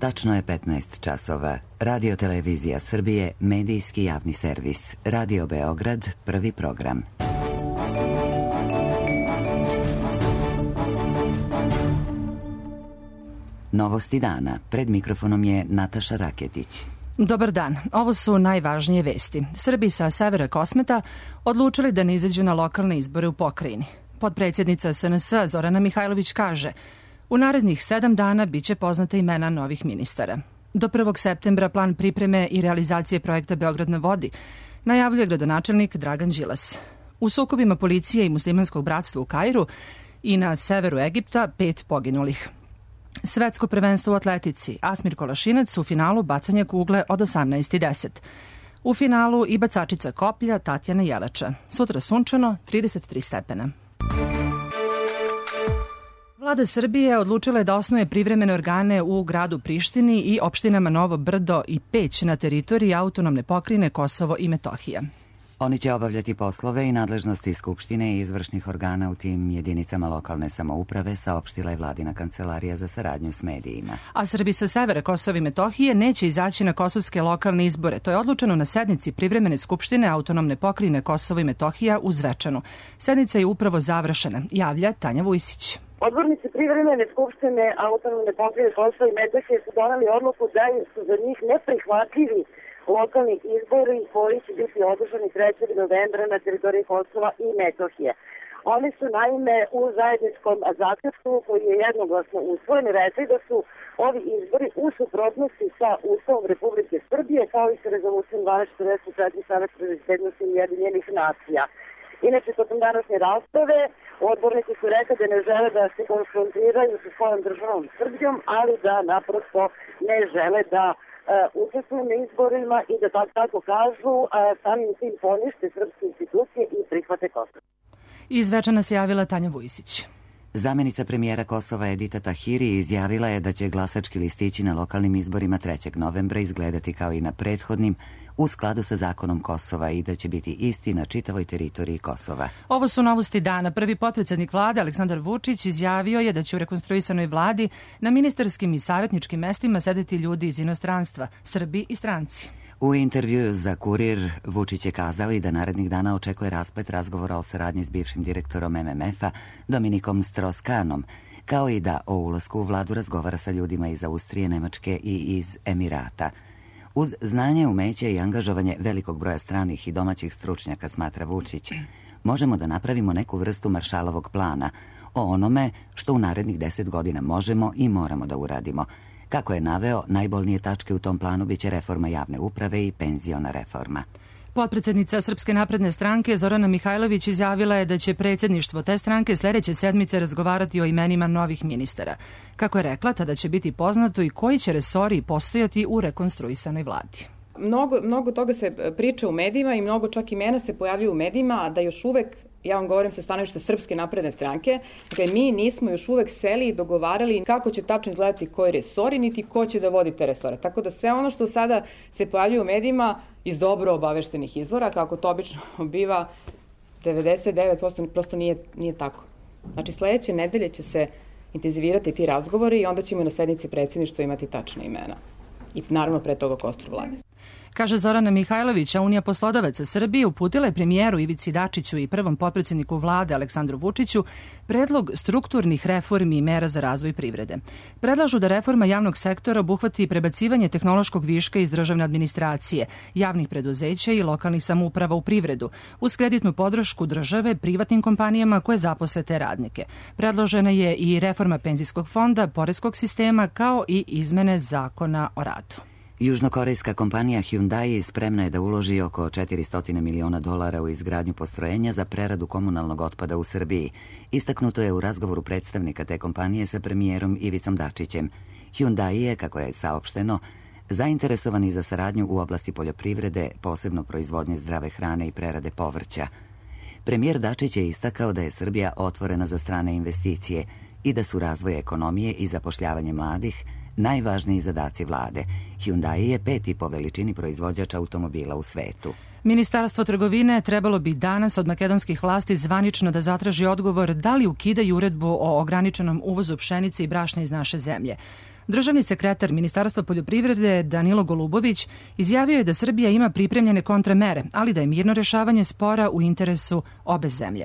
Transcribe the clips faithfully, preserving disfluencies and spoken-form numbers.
Tačno je petnaest časova. Radio Televizija Srbije, medijski javni servis. Radio Beograd, prvi program. Novosti dana. Pred mikrofonom je Nataša Raketić. Dobar dan. Ovo su najvažnije vesti. Srbi sa severa Kosmeta odlučili da ne izađu na lokalne izbore u pokrajini. Potpredsjednica S N S Zorana Mihajlović kaže: u narednih sedam dana biće poznata imena novih ministara. Do prvog septembra plan pripreme i realizacije projekta Beograd na vodi najavljuje gradonačelnik Dragan Đilas. U sukobima policije i muslimanskog bratstva u Kairu i na severu Egipta pet poginulih. Svetsko prvenstvo u atletici. Asmir Kolašinac u finalu bacanja kugle od osamnaest i deset. U finalu i bacačica koplja Tatjana Jelača. Sutra sunčano, trideset tri stepena. Vlada Srbije odlučila je da osnuje privremene organe u gradu Prištini i opštinama Novo Brdo i Peć na teritoriji autonomne pokrajine Kosovo i Metohija. Oni će obavljati poslove i nadležnosti Skupštine i izvršnih organa u tim jedinicama lokalne samouprave, saopštila je vladina kancelarija za saradnju s medijima. A Srbi sa severa Kosova i Metohije neće izaći na kosovske lokalne izbore. To je odlučeno na sednici privremene Skupštine autonomne pokrajine Kosovo i Metohija u Zvečanu. Sednica je upravo završena, javlja Tanja Vujsić. Odbornici privremene Skupštine autonomne pokrajine Kosova i Metohije su doneli odluku da su za njih neprihvatljivi lokalnih izbori koji će biti održani trećeg novembra na teritoriji Kosova i Metohije. Oni su naime u zajedničkom zaključku koji je jednoglasno usvojen rekli da su ovi izbori u suprotnosti sa Ustavom Republike Srbije kao i sa rezolucijom dvanaest četrdeset četiri Saveta bezbednosti Ujedinjenih nacija. Inače, tokom današnje rasprave odbornici su rekli da ne žele da se konfrontiraju sa svojom državom Srbijom, ali da naprosto ne žele da učestvuju na izborima i da tako, tako kažu, samim tim ponište srpske institucije i prihvate Kosovo. Iz Zvečana se javila Tanja Vujsić. Zamenica premijera Kosova Edita Tahiri izjavila je da će glasački listići na lokalnim izborima trećeg novembra izgledati kao i na prethodnim, u skladu sa zakonom Kosova i da će biti isti na čitavoj teritoriji Kosova. Ovo su novosti dana. Prvi potpredsjednik vlade Aleksandar Vučić izjavio je da će u rekonstruisanoj vladi na ministarskim i savjetničkim mestima sedeti ljudi iz inostranstva, Srbi i stranci. U intervjuu za Kurir Vučić je kazao i da narednih dana očekuje rasplet razgovora o saradnji s bivšim direktorom M M F-a Dominikom Strauss-Kahnom, kao i da o ulasku u vladu razgovara sa ljudima iz Austrije, Nemačke i iz Emirata. Uz znanje, umeće i angažovanje velikog broja stranih i domaćih stručnjaka, smatra Vučić, možemo da napravimo neku vrstu maršalovog plana o onome što u narednih deset godina možemo i moramo da uradimo. Kako je naveo, najbolnije tačke u tom planu biće reforma javne uprave i penziona reforma. Potpredsjednica Srpske napredne stranke Zorana Mihajlović izjavila je da će predsjedništvo te stranke sljedeće sedmice razgovarati o imenima novih ministara. Kako je rekla, tada će biti poznato i koji će resori postojati u rekonstruisanoj vladi. Mnogo, mnogo toga se priča u medijima i mnogo čak imena se pojavljuju u medijima, a da još uvek, ja vam govorim sa stanovišta Srpske napredne stranke, dakle mi nismo još uvek seli i dogovarali kako će tačno izgledati koji resori, niti ko će da vodi te resore. Tako da sve ono što sada se pojavljuje u medijima iz dobro obaveštenih izvora, kako to obično biva, devedeset devet posto prosto nije, nije tako. Znači sledeće nedelje će se intenzivirati ti razgovori i onda ćemo na sednici predsjedništva imati tačne imena. I naravno pre toga kostur vlade. Kaže Zorana Mihajlović, a Unija poslodavaca Srbije uputila je premijeru Ivici Dačiću i prvom potpredsjedniku vlade Aleksandru Vučiću predlog strukturnih reformi i mera za razvoj privrede. Predlažu da reforma javnog sektora obuhvati prebacivanje tehnološkog viška iz državne administracije, javnih preduzeća i lokalnih samouprava u privredu, uz kreditnu podršku države privatnim kompanijama koje zaposle te radnike. Predložena je i reforma penzijskog fonda, poreskog sistema, kao i izmene zakona o radu. Južnokorejska kompanija Hyundai spremna je da uloži oko četiristo miliona dolara u izgradnju postrojenja za preradu komunalnog otpada u Srbiji. Istaknuto je u razgovoru predstavnika te kompanije sa premijerom Ivicom Dačićem. Hyundai je, kako je saopšteno, zainteresovani za saradnju u oblasti poljoprivrede, posebno proizvodnje zdrave hrane i prerade povrća. Premijer Dačić je istakao da je Srbija otvorena za strane investicije i da su razvoj ekonomije i zapošljavanje mladih najvažniji zadaci vlade. Hyundai je peti po veličini proizvođač automobila u svetu. Ministarstvo trgovine trebalo bi danas od makedonskih vlasti zvanično da zatraži odgovor da li ukidaju uredbu o ograničenom uvozu pšenice i brašna iz naše zemlje. Državni sekretar Ministarstva poljoprivrede Danilo Golubović izjavio je da Srbija ima pripremljene kontramere, ali da je mirno rešavanje spora u interesu obe zemlje.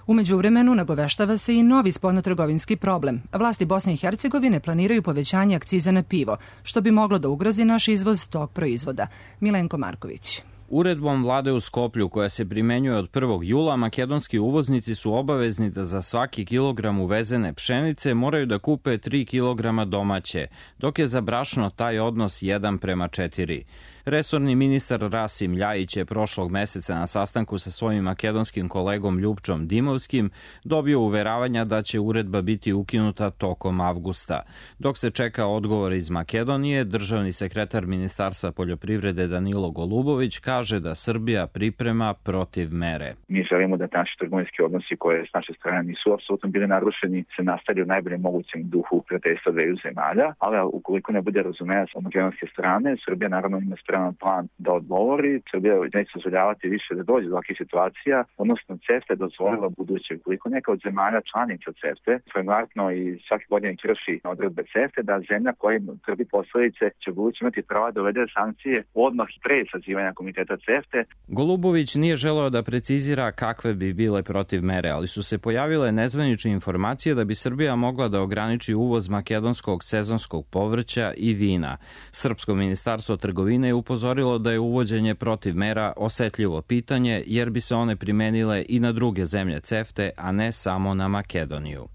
U međuvremenu nagoveštava se i novi spoljnotrgovinski problem. Vlasti Bosne i Hercegovine planiraju povećanje akciza na pivo, što bi moglo da ugrozi naš izvoz tog proizvoda. Milenko Marković. Uredbom vlade u Skoplju, koja se primenjuje od prvog jula, makedonski uvoznici su obavezni da za svaki kilogram uvezene pšenice moraju da kupe tri kilograma domaće, dok je za brašno taj odnos jedan prema četiri. Resorni ministar Rasim Ljajić je prošlog meseca na sastanku sa svojim makedonskim kolegom Ljupčom Dimovskim dobio uveravanja da će uredba biti ukinuta tokom avgusta. Dok se čeka odgovor iz Makedonije, državni sekretar Ministarstva poljoprivrede Danilo Golubović kaže da Srbija priprema protiv mere. Mi želimo da naši trgovinski odnosi koje s naše strane nisu apsolutno bili narušeni se nastavljaju u najboljem mogućem duhu prijateljstva dveju zemalja, ali ukoliko ne bude razumevanja sa makedonske strane, Srbija naravno ima spreman plan da odgovori. Srbija neće dozvoljavati više da dođe do ovakvih situacija, odnosno CEFTA je dozvolila buduće. Ukoliko neka od zemalja članica CEFTA frekventno i svake godine krši odredbe CEFTA, da zemlja koja trpi posledice će buduće imati prava da uvede sankcije odmah pre sazivanja komiteta CEFTA. Golubović nije želeo da precizira kakve bi bile protiv mere, ali su se pojavile nezvanične informacije da bi Srbija mogla da ograniči uvoz makedonskog sezonskog povrća i vina. Srpsko ministarstvo trgovine je upozorilo da je uvođenje protiv mera osetljivo pitanje, jer bi se one primenile i na druge zemlje CEFTA, a ne samo na Makedoniju.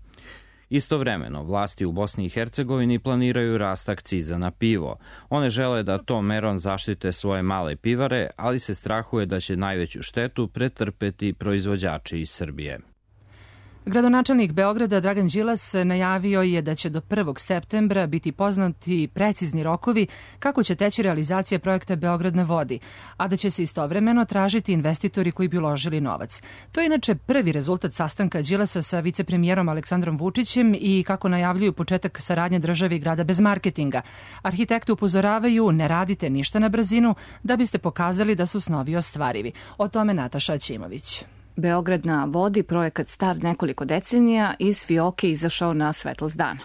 Istovremeno, vlasti u Bosni i Hercegovini planiraju rast akciza na pivo. One žele da tom merom zaštite svoje male pivare, ali se strahuje da će najveću štetu pretrpeti proizvođači iz Srbije. Gradonačelnik Beograda Dragan Đilas najavio je da će do prvog septembra biti poznati precizni rokovi kako će teći realizacija projekta Beograd na vodi, a da će se istovremeno tražiti investitori koji bi uložili novac. To je inače prvi rezultat sastanka Đilasa sa vicepremijerom Aleksandrom Vučićem i kako najavljuju početak saradnje države i grada bez marketinga. Arhitekti upozoravaju ne radite ništa na brzinu da biste pokazali da su snovi ostvarivi. O tome Nataša Aćimović. Beograd na vodi, projekat star nekoliko decenija, iz fioke izašao na svetlost dana.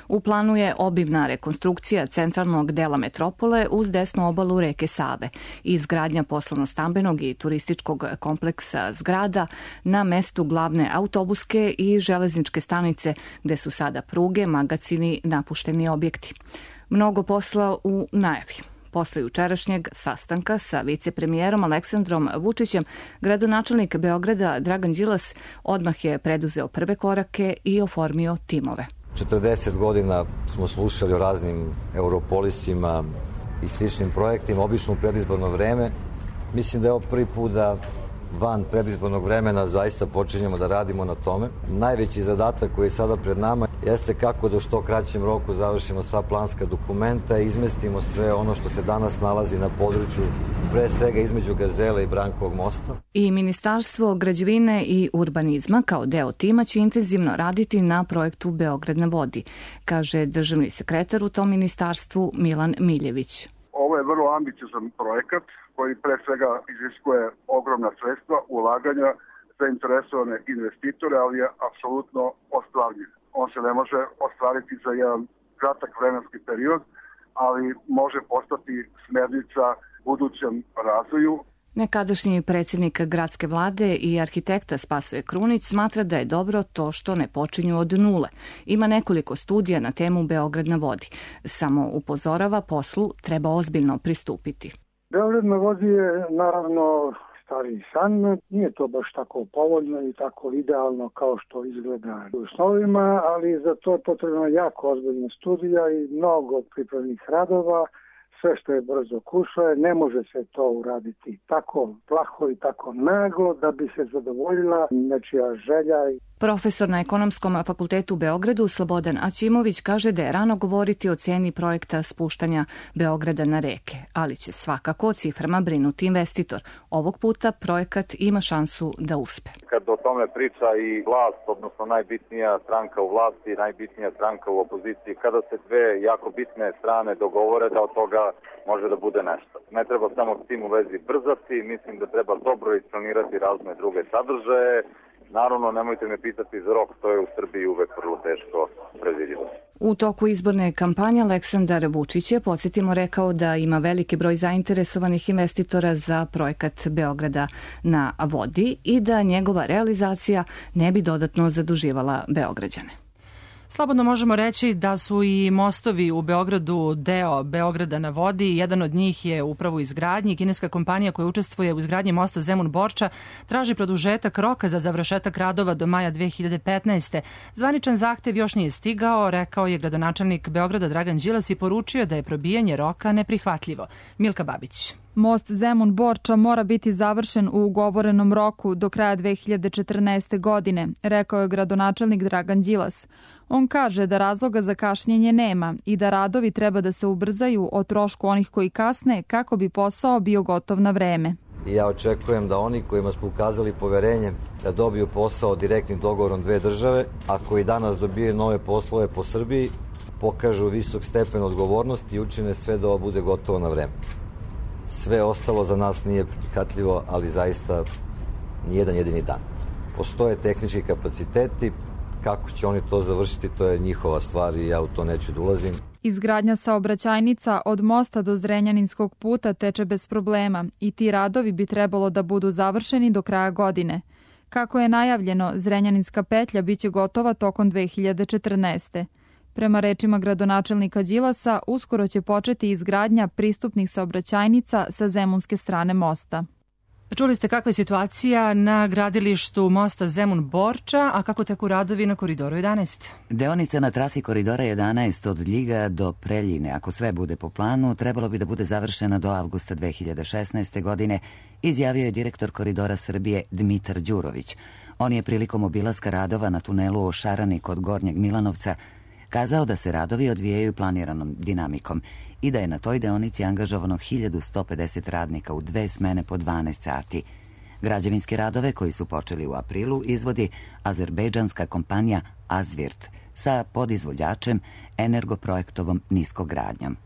U planu je obimna rekonstrukcija centralnog dela metropole uz desnu obalu reke Save i izgradnja poslovno-stambenog i turističkog kompleksa zgrada na mestu glavne autobuske i železničke stanice gde su sada pruge, magacini, napušteni objekti. Mnogo posla u najavi. Posle jučerašnjeg sastanka sa vicepremijerom Aleksandrom Vučićem, gradonačelnik Beograda Dragan Đilas odmah je preduzeo prve korake i oformio timove. četrdeset godina smo slušali o raznim europolisima i sličnim projektima, obično u predizborno vreme. Mislim da je ovo prvi put da van predizbornog vremena zaista počinjemo da radimo na tome. Najveći zadatak koji je sada pred nama jeste kako da u što kraćem roku završimo sva planska dokumenta i izmestimo sve ono što se danas nalazi na području, pre svega između Gazele i Brankovog mosta. I Ministarstvo građevine i urbanizma kao deo tima će intenzivno raditi na projektu Beograd na vodi, kaže državni sekretar u tom ministarstvu Milan Miljević. Ovo je vrlo ambiciozan projekat koji pre svega iziskuje ogromna sredstva, ulaganja za interesovane investitore, ali je apsolutno ostvarljiv. On se ne može ostvariti za jedan kratak vremenski period, ali može postati smernica budućem razvoju. Nekadašnji predsjednik gradske vlade i arhitekta Spasoje Krunić smatra da je dobro to što ne počinju od nule. Ima nekoliko studija na temu Beograd na vodi. Samo upozorava, poslu treba ozbiljno pristupiti. Beograd na vodi je naravno stari san, nije to baš tako povoljno i tako idealno kao što izgleda u snovima, ali za to je potrebno jako ozbiljna studija i mnogo pripremnih radova. Sve što je brzo kušuje, ne može se to uraditi tako plaho i tako naglo da bi se zadovoljila nečija želja. Profesor na Ekonomskom fakultetu u Beogradu Slobodan Aćimović kaže da je rano govoriti o ceni projekta spuštanja Beograda na reke, ali će svakako o ciframa brinuti investitor. Ovog puta projekat ima šansu da uspe. Kad o tome priča i vlast, odnosno najbitnija stranka u vlasti, najbitnija stranka u opoziciji, kada se dve jako bitne strane dogovore da od toga može da bude nešto. Ne treba samo s tim u vezi brzati, mislim da treba dobro isplanirati razne druge sadržaje. Naravno, nemojte me pitati za rok, to je u Srbiji uvek vrlo teško predvidivost. U toku izborne kampanje Aleksandar Vučić je, podsjetimo, rekao da ima veliki broj zainteresovanih investitora za projekat Beograda na vodi i da njegova realizacija ne bi dodatno zaduživala Beograđane. Slobodno možemo reći da su i mostovi u Beogradu deo Beograda na vodi. Jedan od njih je upravo u izgradnji. Kineska kompanija koja učestvuje u izgradnji mosta Zemun-Borča traži produžetak roka za završetak radova do maja dve hiljade petnaeste. Zvaničan zahtev još nije stigao, rekao je gradonačelnik Beograda Dragan Đilas i poručio da je probijanje roka neprihvatljivo. Milka Babić. Most Zemun-Borča mora biti završen u ugovorenom roku do kraja dve hiljade četrnaeste. godine, rekao je gradonačelnik Dragan Đilas. On kaže da razloga za kašnjenje nema i da radovi treba da se ubrzaju o trošku onih koji kasne kako bi posao bio gotov na vreme. I ja očekujem da oni kojima smo ukazali poverenje da dobiju posao direktnim dogovorom dve države, a koji danas dobijaju nove poslove po Srbiji, pokažu visok stepen odgovornosti i učine sve da ovo bude gotovo na vreme. Sve ostalo za nas nije prihvatljivo, ali zaista nijedan jedini dan. Postoje tehnički kapaciteti, kako će oni to završiti, to je njihova stvar i ja u to neću da ulazim. Izgradnja saobraćajnica od mosta do Zrenjaninskog puta teče bez problema i ti radovi bi trebalo da budu završeni do kraja godine. Kako je najavljeno, Zrenjaninska petlja biće gotova tokom dve hiljade četrnaeste. Prema rečima gradonačelnika Đilasa, uskoro će početi izgradnja pristupnih saobraćajnica sa zemunske strane mosta. Čuli ste kakva je situacija na gradilištu mosta Zemun-Borča, a kako teku radovi na Koridoru jedanaest? Deonica na trasi Koridora jedanaest od Ljiga do Preljine, ako sve bude po planu, trebalo bi da bude završena do avgusta dve hiljade šesnaeste. godine, izjavio je direktor Koridora Srbije Dmitar Đurović. On je prilikom obilaska radova na tunelu o Šarani kod Gornjeg Milanovca kazao da se radovi odvijaju planiranom dinamikom i da je na toj deonici angažovano hiljadu sto pedeset radnika u dve smene po dvanaest sati. Građevinske radove, koji su počeli u aprilu, izvodi azerbejdžanska kompanija Azvirt sa podizvođačem Energoprojektovom niskogradnjom.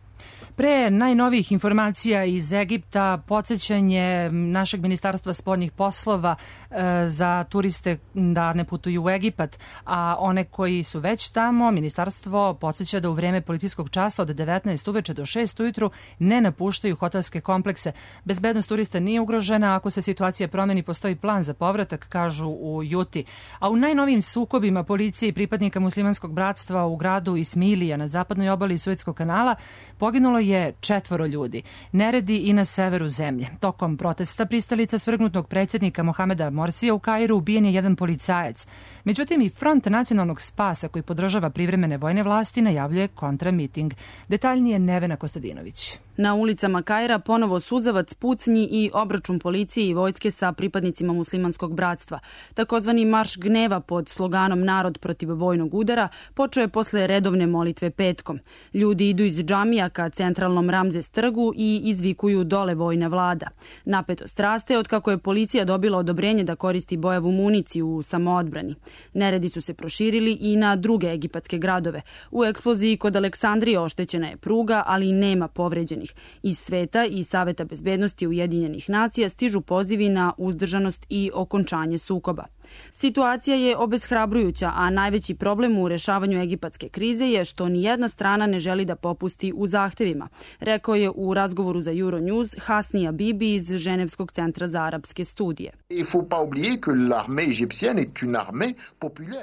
Pre najnovijih informacija iz Egipta, podsjećanje našeg ministarstva spoljnih poslova e, za turiste da ne putuju u Egipat, a one koji su već tamo, ministarstvo podsjeća da u vreme policijskog časa od devetnaest uveče do šest ujutru ne napuštaju hotelske komplekse. Bezbednost turista nije ugrožena, ako se situacija promeni postoji plan za povratak, kažu u Juti. A u najnovijim sukobima policije i pripadnika muslimanskog bratstva u gradu Ismilija na zapadnoj obali Suetskog kanala poginulo je četvoro ljudi. Neredi i na severu zemlje. Tokom protesta pristalica svrgnutog predsjednika Mohameda Morsija u Kairu ubijen je jedan policajac. Međutim, i Front nacionalnog spasa, koji podržava privremene vojne vlasti, najavljuje kontramiting. Detaljnije Nevena Kostadinović. Na ulicama Kaira ponovo suzavac, pucnji i obračun policije i vojske sa pripadnicima muslimanskog bratstva. Takozvani marš gneva pod sloganom Narod protiv vojnog udara počeo je posle redovne molitve petkom. Ljudi idu iz džamija ka centralnom Ramzes trgu i izvikuju dole vojna vlada. Napetost raste od kako je policija dobila odobrenje da koristi bojavu municiju u samoodbrani. Neredi su se proširili i na druge egipatske gradove. U eksploziji kod Aleksandrije oštećena je pruga, ali nema povređenih. Iz sveta i Saveta bezbednosti Ujedinjenih nacija stižu pozivi na uzdržanost i okončanje sukoba. Situacija je obeshrabrujuća, a najveći problem u rešavanju egipatske krize je što nijedna strana ne želi da popusti u zahtevima, rekao je u razgovoru za Euronews Hasni Bibi iz Ženevskog centra za arapske studije.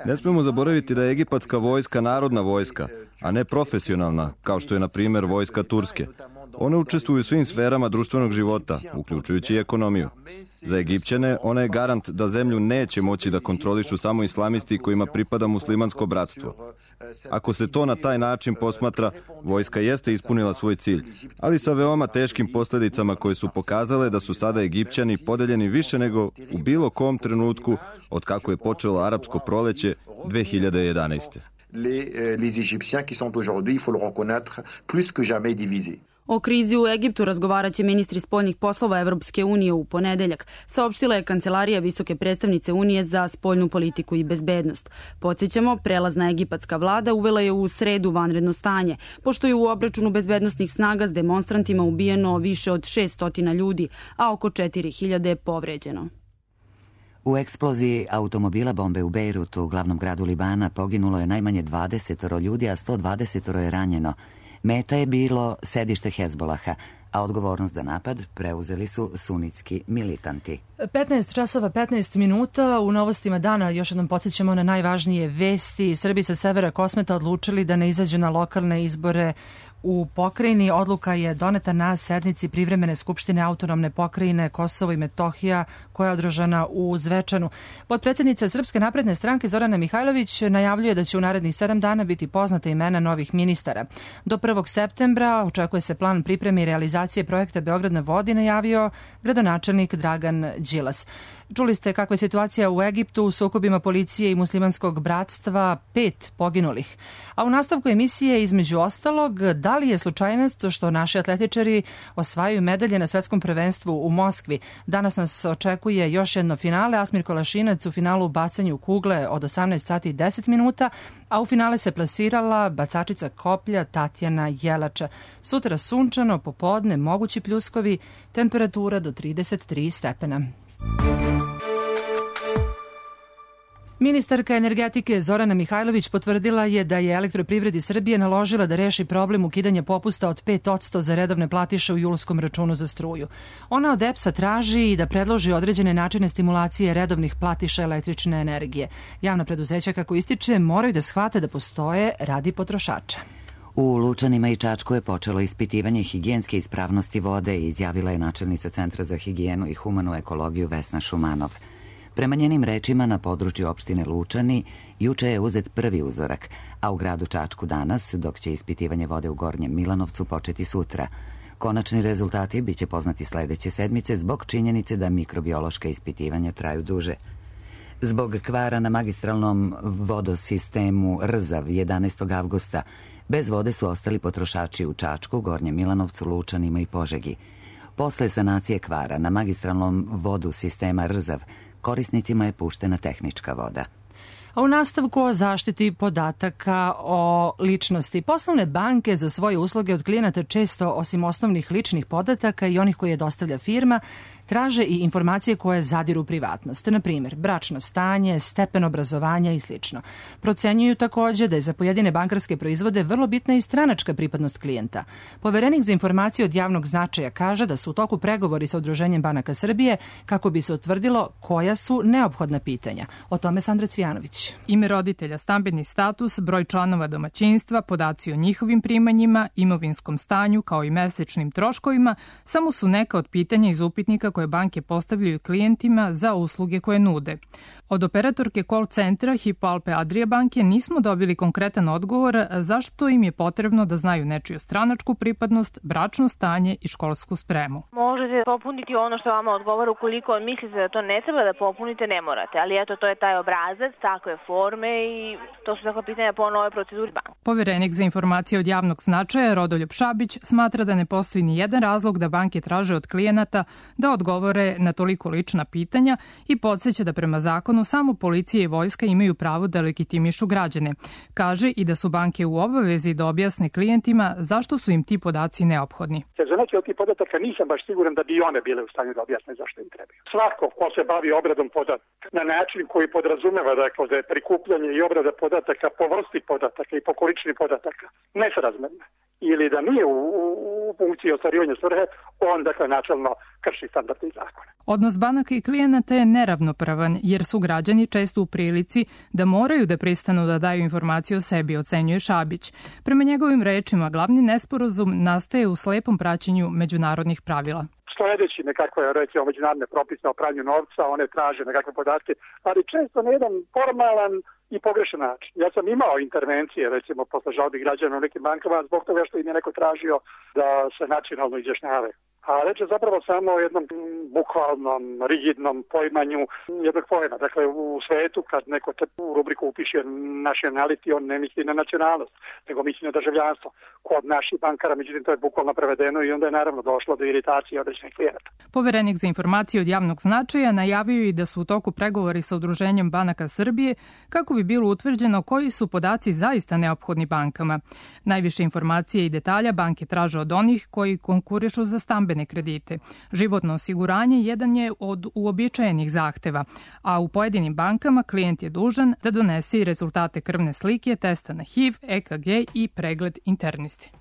Ne smemo zaboraviti da je egipatska vojska narodna vojska, a ne profesionalna, kao što je, na primjer, vojska Turske. One učestvuju u svim sferama društvenog života, uključujući i ekonomiju. Za Egipćane ona je garant da zemlju neće moći da kontrolišu samo islamisti kojima pripada muslimansko bratstvo. Ako se to na taj način posmatra, vojska jeste ispunila svoj cilj, ali sa veoma teškim posljedicama koje su pokazale da su sada Egipćani podeljeni više nego u bilo kom trenutku od kako je počelo arapsko proleće dve hiljade jedanaeste. Les, les Égyptiens qui sont aujourd'hui, il faut le reconnaître, plus que jamais divisés. O krizi u Egiptu razgovaraće ministri spoljnih poslova Evropske unije u ponedeljak, saopštila je Kancelarija visoke predstavnice Unije za spoljnu politiku i bezbednost. Podsjećamo, prelazna egipatska vlada uvela je u sredu vanredno stanje, pošto je u obračunu bezbednostnih snaga s demonstrantima ubijeno više od šest stotina ljudi, a oko četiri hiljade povređeno. U eksploziji automobila bombe u Bejrutu, glavnom gradu Libana, poginulo je najmanje dvadeset ljudi, a sto dvadeset je ranjeno. Meta je bilo sedište Hezbolaha, a odgovornost za napad preuzeli su sunitski militanti. petnaest časova petnaest minuta. U novostima dana još jednom podsjećamo na najvažnije vesti. Srbi sa severa Kosmeta odlučili da ne izađu na lokalne izbore u pokrajini. Odluka je doneta na sednici privremene skupštine autonomne pokrajine Kosovo i Metohija koja je održana u Zvečanu. Potpredsjednica Srpske napredne stranke Zorana Mihajlović najavljuje da će u narednih sedam dana biti poznata imena novih ministara. Do prvog septembra očekuje se plan pripreme i realizacije projekta Beograd na vodi, najavio gradonačelnik Dragan Đilas. Čuli ste kakva je situacija u Egiptu u sukobima policije i muslimanskog bratstva, pet poginulih. A u nastavku emisije između ostalog, da li je slučajnost što naši atletičari osvajaju medalje na svetskom prvenstvu u Moskvi? Danas nas očekuje još jedno finale. Asmir Kolašinac u finalu u bacanju kugle od osamnaest sati i deset minuta, a u finale se plasirala bacačica koplja Tatjana Jelača. Sutra sunčano, popodne mogući pljuskovi, temperatura do trideset tri stepena. Ministarka energetike Zorana Mihajlović potvrdila je da je Elektroprivredi Srbije naložila da reši problem ukidanja popusta od pet posto za redovne platiše u julskom računu za struju. Ona od E P S-a traži i da predloži određene načine stimulacije redovnih platiša električne energije. Javna preduzeća, kako ističe, moraju da shvate da postoje radi potrošača. U Lučanima i Čačku je počelo ispitivanje higijenske ispravnosti vode, izjavila je načelnica Centra za higijenu i humanu ekologiju Vesna Šumanov. Prema njenim rečima, na području opštine Lučani juče je uzet prvi uzorak, a u gradu Čačku danas, dok će ispitivanje vode u Gornjem Milanovcu početi sutra. Konačni rezultati biće poznati sledeće sedmice zbog činjenice da mikrobiološka ispitivanja traju duže. Zbog kvara na magistralnom vodosistemu Rzav jedanaestog avgusta bez vode su ostali potrošači u Čačku, Gornjem Milanovcu, Lučanima i Požegi. Posle sanacije kvara na magistralnom vodu sistema Rzav, korisnicima je puštena tehnička voda. A u nastavku o zaštiti podataka o ličnosti. Poslovne banke za svoje usluge od klijenata često, osim osnovnih ličnih podataka i onih koje dostavlja firma, traže i informacije koje zadiru u privatnost, na primjer bračno stanje, stepen obrazovanja i sl. Procenjuju takođe da je za pojedine bankarske proizvode vrlo bitna i stranačka pripadnost klijenta. Poverenik za informacije od javnog značaja kaže da su u toku pregovori sa Udruženjem banaka Srbije kako bi se utvrdilo koja su neophodna pitanja. O tome Sandra Cvijanović. Ime roditelja, stambeni status, broj članova domaćinstva, podaci o njihovim primanjima, imovinskom stanju kao i mesečnim troškovima samo su neka od pitanja iz upitnika koje banke postavljaju klijentima za usluge koje nude. Od operatorke call centra Hypo Alpe Adria banke nismo dobili konkretan odgovor zašto im je potrebno da znaju nečiju stranačku pripadnost, bračno stanje i školsku spremu. Možete popuniti ono što vama odgovara, ukoliko mislite da to ne treba da popunite, ne morate, ali eto, to je taj obrazac, takve forme i to su takva pitanja po novoj proceduri banke. Poverenik za informacije od javnog značaja Rodoljub Šabić smatra da ne postoji ni jedan razlog da banke traže od klijenata da odgovore na toliko lična pitanja i podsjeća da prema zakonu samo policija i vojska imaju pravo da legitimišu građane. Kaže i da su banke u obavezi da objasne klijentima zašto su im ti podaci neophodni. Za neke od tih podataka nisam baš siguran da bi i one bile u stanju da objasne zašto im trebaju. Svako ko se bavi obradom podataka na način koji podrazumeva dakle, da je prikupljanje i obrada podataka po vrsti podataka i po količini podataka nesrazmerna ili da nije u, u funkciji ostvarivanja svrhe, on dakle načelno krši standarde i zakone. Odnos banaka i klijenata je neravnopravan jer su građani često u prilici da moraju da pristanu da daju informacije o sebi, ocenjuje Šabić. Prema njegovim rečima, glavni nesporazum nastaje u slepom praćenju međunarodnih pravila. Sledeći nekakve, recimo, međunarodne propise o pranju novca, one traže nekakve podatke, ali često na jedan formalan i pogrešan način. Ja sam imao intervencije, recimo, posle žalbi građana u nekim bankama, zbog toga što im je neko tražio da se nacionalno izjašnjavaju. A reč je zapravo samo o jednom bukvalnom, rigidnom poimanju jednog pojma. Dakle, u svetu kad neko te u rubriku upiše nationality, on ne misli na nacionalnost, nego misli na državljanstvo. Kod naših bankara, međutim, to je bukvalno prevedeno i onda je naravno došlo do iritacije određenih klijenata. Poverenik za informacije od javnog značaja najavio i da su u toku pregovori sa Udruženjem banaka Srbije kako bi bilo utvrđeno koji su podaci zaista neophodni bankama. Najviše informacije i detalja banke traže od onih koji konkurišu za stambene stambene kredite. Životno osiguranje jedan je od uobičajenih zahteva, a u pojedinim bankama klijent je dužan da donese i rezultate krvne slike, testa na H I V, E K G i pregled internisti.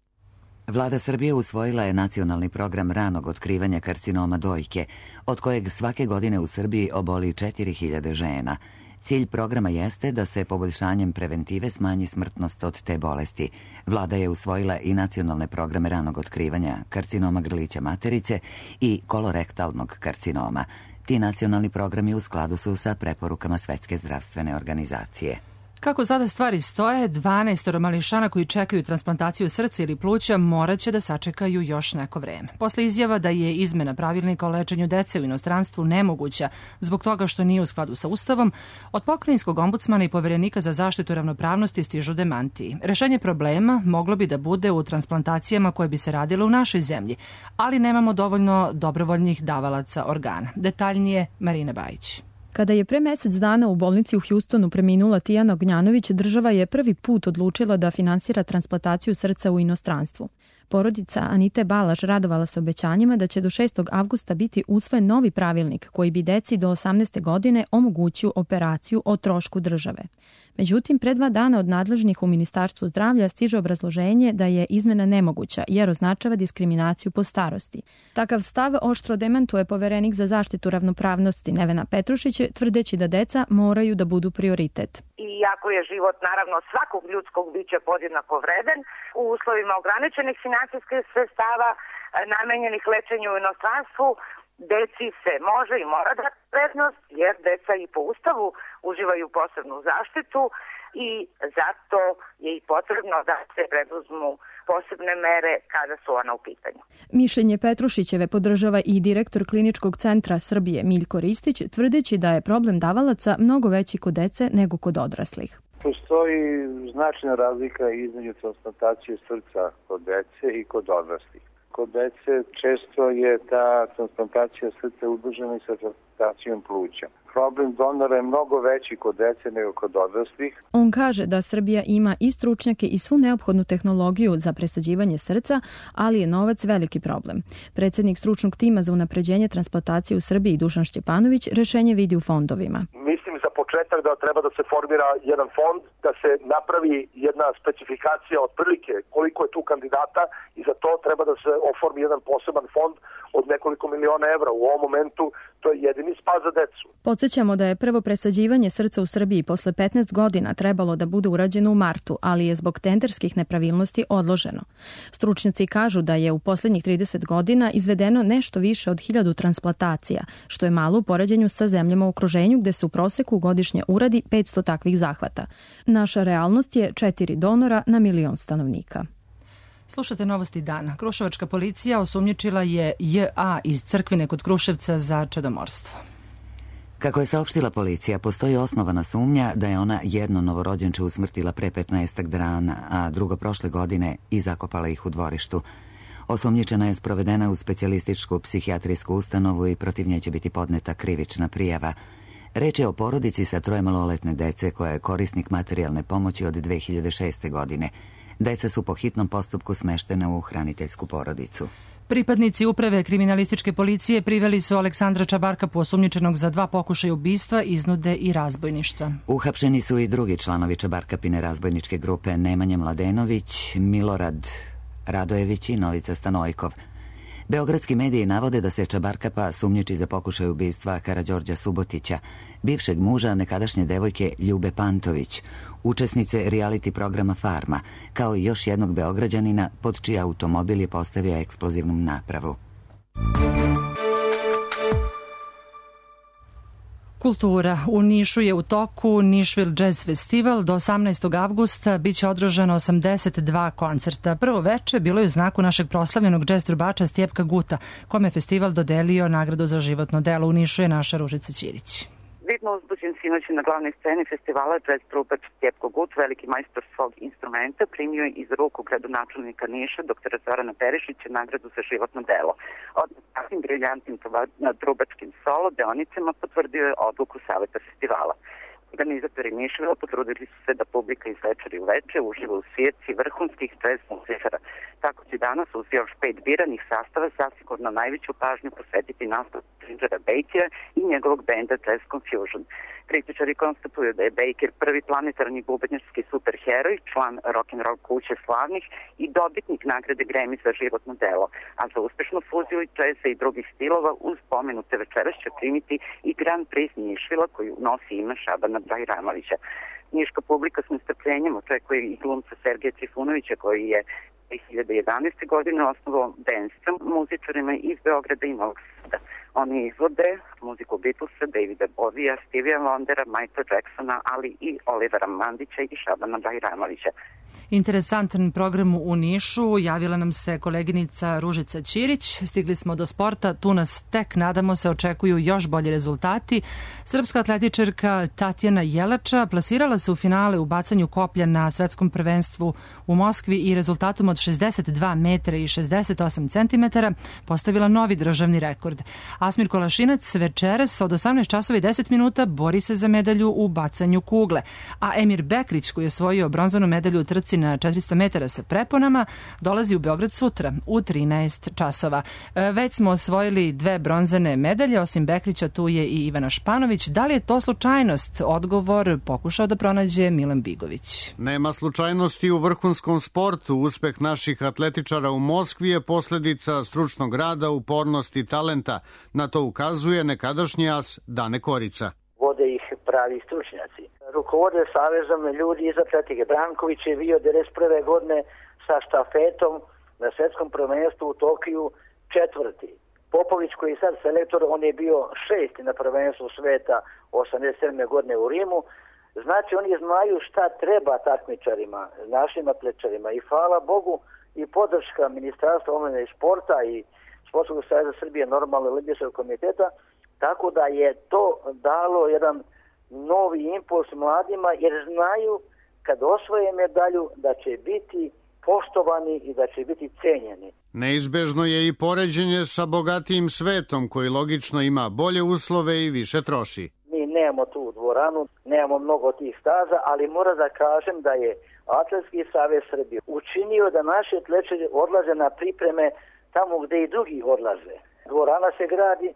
Vlada Srbije usvojila je nacionalni program ranog otkrivanja karcinoma dojke, od kojeg svake godine u Srbiji oboli četiri hiljade žena. Cilj programa jeste da se poboljšanjem preventive smanji smrtnost od te bolesti. Vlada je usvojila i nacionalne programe ranog otkrivanja karcinoma grlića materice i kolorektalnog karcinoma. Ti nacionalni programi u skladu su sa preporukama Svetske zdravstvene organizacije. Kako sada stvari stoje, dvanaest mališana koji čekaju transplantaciju srca ili pluća morat će da sačekaju još neko vreme. Posle izjava da je izmena pravilnika o lečenju dece u inostranstvu nemoguća zbog toga što nije u skladu sa Ustavom, od pokrajinskog ombudsmana i poverenika za zaštitu ravnopravnosti stižu demantiji. Rešenje problema moglo bi da bude u transplantacijama koje bi se radile u našoj zemlji, ali nemamo dovoljno dobrovoljnih davalaca organa. Detaljnije Marina Bajić. Kada je pre mesec dana u bolnici u Hjustonu preminula Tijana Ognjanović, država je prvi put odlučila da finansira transplantaciju srca u inostranstvu. Porodica Anite Balaš radovala se obećanjima da će do šestog avgusta biti usvojen novi pravilnik koji bi deci do osamnaeste godine omogućio operaciju o trošku države. Međutim, pre dva dana od nadležnih u Ministarstvu zdravlja stiže obrazloženje da je izmena nemoguća jer označava diskriminaciju po starosti. Takav stav oštro demantuje poverenik za zaštitu ravnopravnosti Nevena Petrušić, tvrdeći da deca moraju da budu prioritet. Iako je život naravno svakog ljudskog bića podjednako vredan, u uslovima ograničenih finansijskih sredstava namenjenih lečenju u inostranstvu, deci se može i mora dati prednost, jer deca i po Ustavu uživaju posebnu zaštitu i zato je i potrebno da se preduzmu posebne mere kada su ona u pitanju. Mišljenje Petrušićeve podržava i direktor Kliničkog centra Srbije Miljko Ristić, tvrdeći da je problem davalaca mnogo veći kod dece nego kod odraslih. Postoji značajna razlika između transplantacije srca kod dece i kod odraslih. Kod dece često je ta transplantacija srca udružena i sa transplantacijom pluća. Problem donora je mnogo veći kod dece nego kod odraslih. On kaže da Srbija ima i stručnjake i svu neophodnu tehnologiju za presađivanje srca, ali je novac veliki problem. Predsjednik stručnog tima za unapređenje transplantacije u Srbiji Dušan Šćepanović rešenje vidi u fondovima. Mislim za početak da treba da se formira jedan fond, da se napravi jedna specifikacija otprilike koliko je tu kandidata i za to treba da se oformi jedan poseban fond od nekoliko miliona evra. U ovom momentu to je jedini spas za decu. Podsjećamo da je prvo presađivanje srca u Srbiji posle petnaest godina trebalo da bude urađeno u martu, ali je zbog tenderskih nepravilnosti odloženo. Stručnjaci kažu da je u poslednjih trideset godina izvedeno nešto više od hiljadu transplantacija, što je malo u poređenju sa zemljama u okruženju gde se u proseku godišnje uradi petsto takvih zahvata. Naša realnost je četiri donora na milion stanovnika. Slušate novosti dana. Kruševačka policija osumnjičila je J A iz Crkvine kod Kruševca za čedomorstvo. Kako je saopštila policija, postoji osnovana sumnja da je ona jedno novorođenče usmrtila pre petnaestak dana, a drugo prošle godine i zakopala ih u dvorištu. Osumnjičena je sprovedena u specijalističku psihijatrijsku ustanovu i protiv nje će biti podneta krivična prijava. Reč je o porodici sa troje maloletne dece koja je korisnik materijalne pomoći od dve hiljade šeste. godine. Deca su po hitnom postupku smeštena u hraniteljsku porodicu. Pripadnici uprave kriminalističke policije priveli su Aleksandra Čabarkapu osumnjičenog za dva pokušaja ubistva, iznude i razbojništva. Uhapšeni su i drugi članovi Čabarkapine razbojničke grupe Nemanja Mladenović, Milorad Radojević i Novica Stanojkov. Beogradski mediji navode da se Čabarkapa sumnjiči za pokušaj ubistva Karađorđa Subotića, bivšeg muža nekadašnje devojke Ljube Pantović, učesnice reality programa Farma, kao i još jednog Beograđanina pod čiji automobil je postavio eksplozivnu napravu. Kultura. U Nišu je u toku Nišvil Jazz Festival. Do osamnaestog avgusta biće održano osamdeset dva koncerta. Prvo veče bilo je u znaku našeg proslavljenog džez trubača Stjepka Guta, kome je festival dodelio nagradu za životno delo. U Nišu je naša Ružica Ćirić. Vidno uzbuđen sinoć na glavnoj sceni festivala jazz trubač Stjepko Gut, veliki majstor svog instrumenta, primio je iz ruku gradonačelnika Niša, doktora Zorana Perišića, nagradu za životno delo. Odmah takvim briljantnim trubačkim solo deonicama potvrdio je odluku Saveta festivala. Organizatori Nišvila potrudili su se da publika iz večeri u veče uživa u svijetci vrhunskih jazz muzikara. Tako će danas uz još pet biranih sastava zasigurno najveću pažnju posvetiti nastup Gingera Bakera i njegovog benda Jazz Confusion. Kritičari konstatuju da je Baker prvi planetarni bubanjarski superheroj, član rock'n'roll kuće slavnih i dobitnik nagrade Grammy za životno delo, a za uspešnu fuziju džeza i drugih stilova uz pomenute večeras će primiti i Grand Prix Nišvila koju nosi ime Šabana Bajramovića. Niška publika s nestrpljenjem očekuje i glumca Sergeja Trifunovića koji je dve hiljade jedanaeste. godine osnovao band sa muzičarima iz Beograda i Novog Sada. Oni izvode muziku Beatlesa, Davida Bovija, Stevija Wondera, Michaela Jacksona, ali i Olivera Mandića i Šabana Bajramovića. Interesantan program u Nišu, javila nam se koleginica Ružica Ćirić. Stigli smo do sporta, tu nas tek, nadamo se, očekuju još bolji rezultati. Srpska atletičarka Tatjana Jelača plasirala se u finale u bacanju koplja na svetskom prvenstvu u Moskvi i rezultatom od šezdeset dva metra i šezdeset osam centimetara postavila novi državni rekord. Asmir Kolašinac večeras od osamnaest časova i deset minuta bori se za medalju u bacanju kugle, a Emir Bekrić, koji je osvojio bronzanu medalju u trci na četiristo metara sa preponama, dolazi u Beograd sutra u trinaest časova. Već smo osvojili dve bronzane medalje, osim Bekrića tu je i Ivana Španović. Da li je to slučajnost? Odgovor pokušao da pronađe Milan Bigović. Nema slučajnosti u vrhunskom sportu. Uspeh naših atletičara u Moskvi je posledica stručnog rada, upornosti i talenta. Na to ukazuje nekadašnji as Dane Korica. Vode ih pravi stručnjaci. Rukovode savezom ljudi iz atletike. Branković je bio devedeset prve. godine sa štafetom na svetskom prvenstvu u Tokiju četvrti. Popović koji je sad selektor, on je bio šesti na prvenstvu sveta osamdeset sedme. godine u Rimu. Znači oni znaju šta treba takmičarima, našim atletičarima i hvala Bogu i podrška Ministarstva omladine i sporta i Sportskog saveza Srbije, normalno Olimpijskog komiteta, tako da je to dalo jedan novi impuls mladima jer znaju kad osvoje medalju da će biti poštovani i da će biti cenjeni. Neizbežno je i poređenje sa bogatijim svetom koji logično ima bolje uslove i više troši. Mi nemamo tu dvoranu, nemamo mnogo tih staza, ali moram da kažem da je Atletski savez Srbije učinio da naši atletičari odlaze na pripreme tamo gde i drugi odlaze. Dvorana se gradi,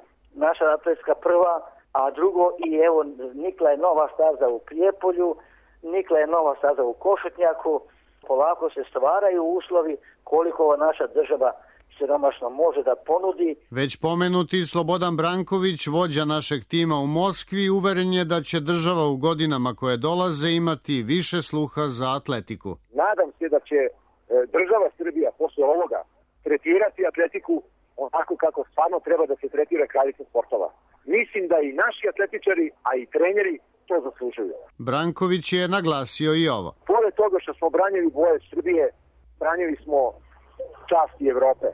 naša atletska prva, a drugo i evo nikla je nova staza u Prijepolju, nikla je nova staza u Košutnjaku, polako se stvaraju uslovi koliko naša država siromašno može da ponudi. Već pomenuti Slobodan Branković, vođa našeg tima u Moskvi, uveren je da će država u godinama koje dolaze imati više sluha za atletiku. Nadam se da će država Srbija posle ovoga tretirati atletiku onako kako stvarno treba da se tretira kraljica sportova. Mislim da i naši atletičari, a i treneri to zaslužuju. Branković je naglasio i ovo. Pored toga što smo branili boje Srbije, branili smo časti Evrope.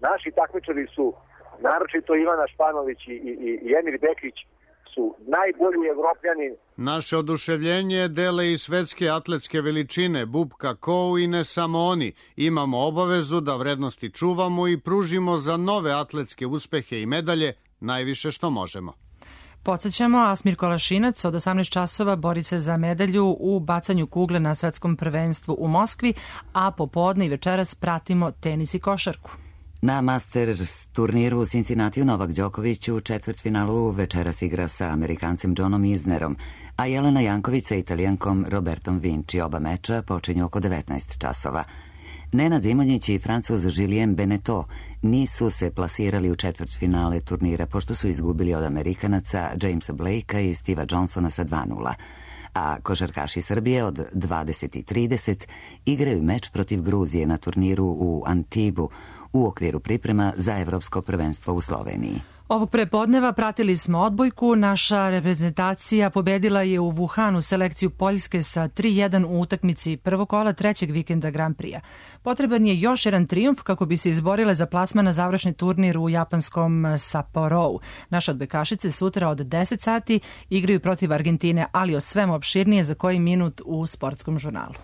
Naši takmičari su, naročito Ivana Španović i, i, i Emir Bekrić, su najbolji Evropljani. Naše oduševljenje dele i svetske atletske veličine, Bubka Kou i ne samo oni. Imamo obavezu da vrednosti čuvamo i pružimo za nove atletske uspehe i medalje najviše što možemo. Podsjećamo, Asmir Kolašinac od osamnaest časova bori se za medalju u bacanju kugle na svetskom prvenstvu u Moskvi, a popodne i večeras pratimo tenis i košarku. Na Masters turniru u Cincinnatiju Novak Đoković u četvrtfinalu večeras igra sa Amerikancem Johnom Isnerom, a Jelena Janković sa Italijankom Robertom Vinci. Oba meča počinju oko devetnaest časova. Nenad Zimonjić i Francuz Julien Beneteau nisu se plasirali u četvrtfinale turnira pošto su izgubili od Amerikanaca Jamesa Blakea i Steva Johnsona sa dva nula. A košarkaši Srbije od dvadeset i trideset igraju meč protiv Gruzije na turniru u Antibu u okviru priprema za evropsko prvenstvo u Sloveniji. Ovog prepodneva pratili smo odbojku. Naša reprezentacija pobedila je u Wuhanu selekciju Poljske sa tri jedan u utakmici prvog kola trećeg vikenda Grand Prix-a. Potreban je još jedan trijumf kako bi se izborile za plasman na završni turnir u japanskom Sapporovu. Naše odbojkašice sutra od deset sati igraju protiv Argentine, ali o svemu opširnije za koji minut u Sportskom žurnalu.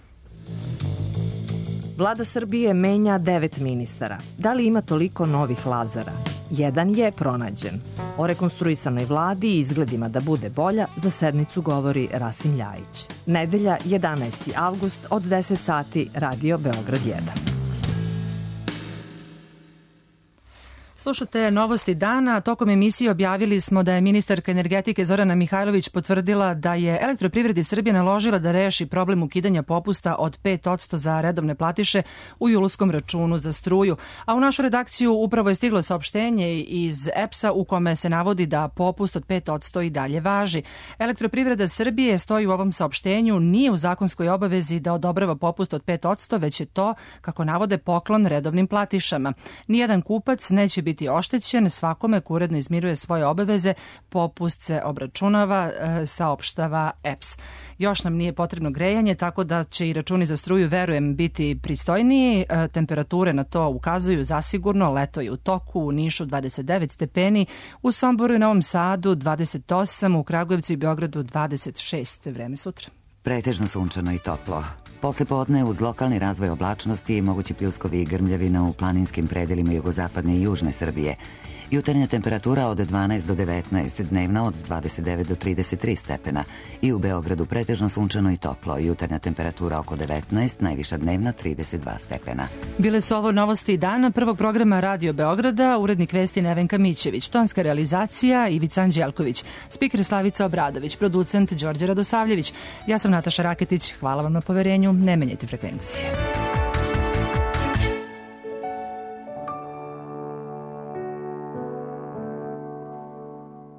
Vlada Srbije menja devet ministara. Da li ima toliko novih Lazara? jedan je pronađen. O rekonstruisanoj vladi i izgledima da bude bolja za sednicu govori Rasim Ljajić. Nedelja, jedanaesti avgust od deset sati, Radio Beograd jedan. Slušate novosti dana. Tokom emisije objavili smo da je ministarka energetike Zorana Mihajlović potvrdila da je Elektroprivredi Srbije naložila da reši problem ukidanja popusta od pet posto za redovne platiše u julskom računu za struju. A u našu redakciju upravo je stiglo saopštenje iz E P S-a u kome se navodi da popust od pet posto i dalje važi. Elektroprivreda Srbije, stoji u ovom saopštenju, nije u zakonskoj obavezi da odobrava popust od pet posto, već je to, kako navode, poklon redovnim platišama. Nijedan kupac neće biti biti oštećen, svakome ko uredno izmiruje svoje obaveze, popust se obračunava, saopštava E P S. Još nam nije potrebno grejanje, tako da će i računi za struju, verujem, biti pristojniji. Temperature na to ukazuju zasigurno, leto je u toku, u Nišu dvadeset devet stepeni, u Somboru i Novom Sadu dvadeset osam, u Kragujevcu i Beogradu dvadeset šest. Vreme sutra. Pretežno sunčano i toplo. Posle podne uz lokalni razvoj oblačnosti i mogući pljuskovi i grmljavina u planinskim predelima jugozapadne i južne Srbije. Jutarnja temperatura od dvanaest do devetnaest, dnevna od dvadeset devet do trideset tri stepena. I u Beogradu pretežno sunčano i toplo. Jutarnja temperatura oko devetnaest, najviša dnevna trideset dva stepena. Bile su ovo novosti dana prvog programa Radio Beograda, urednik vesti Nevenka Mićević, tonska realizacija Ivica Anđelković, spiker Slavica Obradović, producent Đorđe Radosavljević. Ja sam Nataša Raketić, hvala vam na poverenju, ne menjajte frekvencije.